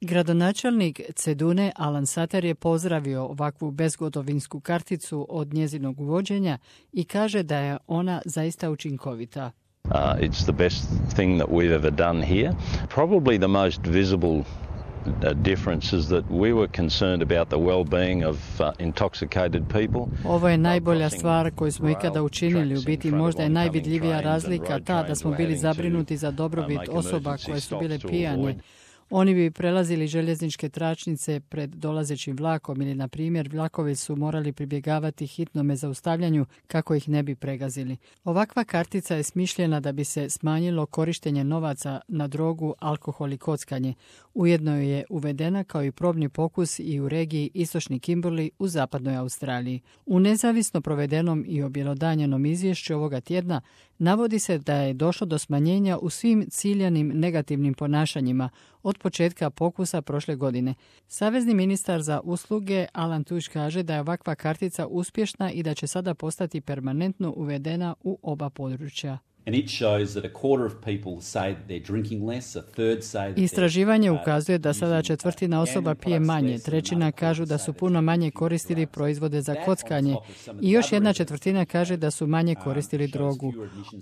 Gradonačelnik Cedune Alan Sater je pozdravio ovakvu bezgotovinsku karticu od njezinog uvođenja i kaže da je ona zaista učinkovita. It's the best thing that we've ever done here. Probably the most visible difference is that we were concerned about the well-being of intoxicated people. Ovo je najbolja stvar koju smo ikada učinili. U biti možda je najvidljivija razlika ta da smo bili zabrinuti za dobrobit osoba koje su bile pijane. Oni bi prelazili željezničke tračnice pred dolazećim vlakom ili, na primjer, vlakovi su morali pribjegavati hitnome zaustavljanju kako ih ne bi pregazili. Ovakva kartica je smišljena da bi se smanjilo korištenje novaca na drogu, alkohol i kockanje. Ujedno je uvedena kao i probni pokus i u regiji Istočni Kimberley u zapadnoj Australiji. U nezavisno provedenom i objelodanjenom izvješću ovoga tjedna navodi se da je došlo do smanjenja u svim ciljanim negativnim ponašanjima od početka pokusa prošle godine. Savezni ministar za usluge Alan Tudge kaže da je ovakva kartica uspješna i da će sada postati permanentno uvedena u oba područja. Istraživanje ukazuje da sada četvrtina osoba pije manje, trećina kažu da su puno manje koristili proizvode za kockanje i još jedna četvrtina kaže da su manje koristili drogu.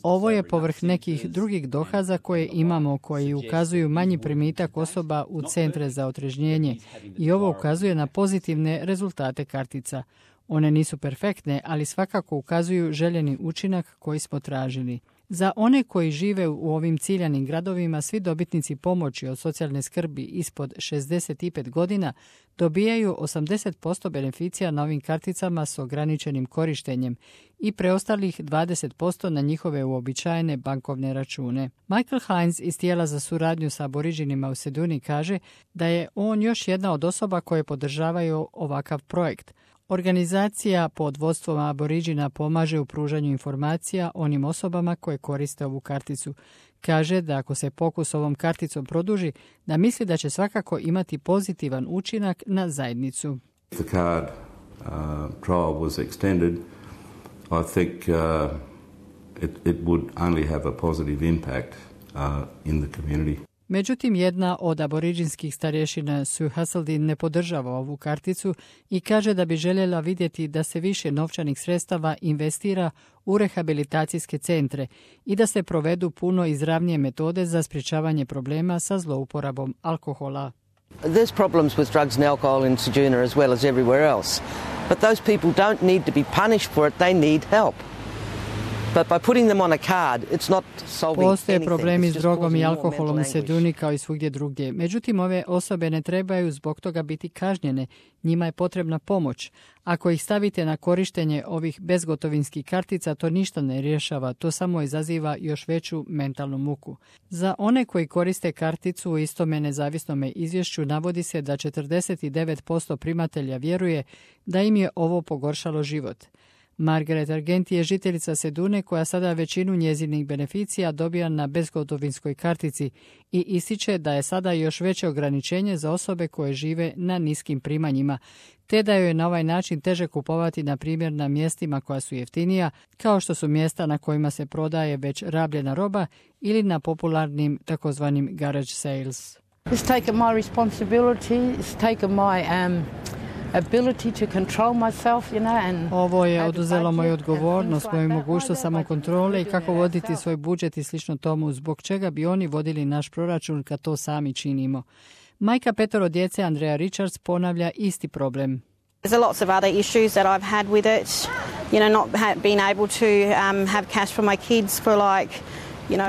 Ovo je povrh nekih drugih dokaza koje imamo koji ukazuju manji primitak osoba u centre za otrežnjenje i ovo ukazuje na pozitivne rezultate kartica. One nisu perfektne, ali svakako ukazuju željeni učinak koji smo tražili. Za one koji žive u ovim ciljanim gradovima, svi dobitnici pomoći od socijalne skrbi ispod 65 godina dobijaju 80% beneficija na ovim karticama s ograničenim korištenjem i preostalih 20% na njihove uobičajene bankovne račune. Michael Hines iz tijela za suradnju sa aboriđinima u Ceduni kaže da je on još jedna od osoba koje podržavaju ovakav projekt. Organizacija pod vodstvom aboriđina pomaže u pružanju informacija onim osobama koje koriste ovu karticu. Kaže da ako se pokus ovom karticom produži, da misli da će svakako imati pozitivan učinak na zajednicu. If the card trial was extended, I think it would only have a positive impact in the community. Međutim, jedna od aboriđinskih starješina Sue Hasseldin ne podržava ovu karticu i kaže da bi željela vidjeti da se više novčanih sredstava investira u rehabilitacijske centre i da se provedu puno izravnije metode za sprječavanje problema sa zlouporabom alkohola. There's problems with drugs and alcohol in Ceduna as well as everywhere else. But those people don't need to be punished for it, they need help. Postoje problemi s drogom i alkoholom u Ceduni kao i svugdje drugdje. Međutim, ove osobe ne trebaju zbog toga biti kažnjene. Njima je potrebna pomoć. Ako ih stavite na korištenje ovih bezgotovinskih kartica, to ništa ne rješava. To samo izaziva još veću mentalnu muku. Za one koji koriste karticu u istome nezavisnome izvješću navodi se da 49% primatelja vjeruje da im je ovo pogoršalo život. Margaret Argenti je žiteljica Cedune koja sada većinu njezinih beneficija dobija na bezgotovinskoj kartici i ističe da je sada još veće ograničenje za osobe koje žive na niskim primanjima, te da joj je na ovaj način teže kupovati na primjer na mjestima koja su jeftinija, kao što su mjesta na kojima se prodaje već rabljena roba ili na popularnim takozvanim garage sales. It's taken my responsibility, it's taken my ability to control myself, you know, and ovo je oduzelo moju odgovornost, moju mogućnost samokontrole i kako voditi svoj budžet i slično tomu, zbog čega bi oni vodili naš proračun kad to sami činimo. Majka petoro djece Andrea Richards ponavlja isti problem. There's lots of other issues that I've had with it, you know, not being able to have cash for my kids for like.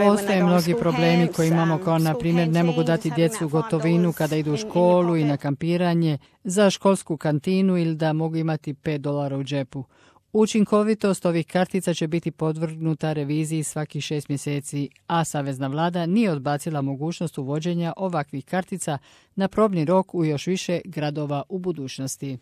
Postoje mnogi problemi koje imamo, kao na primjer ne mogu dati djecu gotovinu kada idu u školu i na kampiranje, za školsku kantinu ili da mogu imati $5 u džepu. Učinkovitost ovih kartica će biti podvrgnuta reviziji svakih 6 mjeseci, a savezna vlada nije odbacila mogućnost uvođenja ovakvih kartica na probni rok u još više gradova u budućnosti.